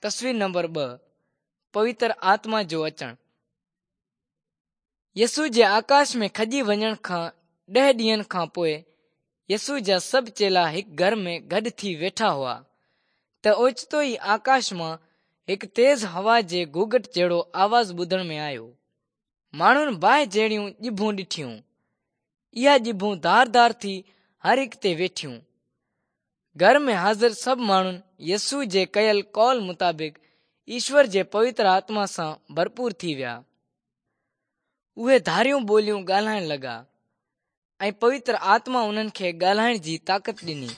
تصوير نمبر 2، پوتر آتما جو اچڻ. يسوع جي آڪاش ۾ کڄي وڃڻ کان 10 ڏينهن کان پوء يسوع جا سڀ چيلا هڪ گهر ۾ گڏ ٿي ويٺا هئا ته اوچتو ئي آڪاش مان هڪ تيز هوا جي گوگهٽ جهڙو آواز ٻڌڻ ۾ آيو. ماڻهن باهه جهڙيون ڄڀون ڏٺيون. اها ڄڀون ڌار ڌار ٿي هر هڪ تي ويٺيون. گهر ۾ حاضر سڀ ماڻهن يسوع جي ڪيل قول مطابق ايشور جي پوتر آتما سان ڀرپور ٿي ويا. اهي ڌاريون ٻوليون ڳالهائڻ لڳا ۽ پوتر آتما انهن کي ڳالهائڻ جي طاقت ڏني.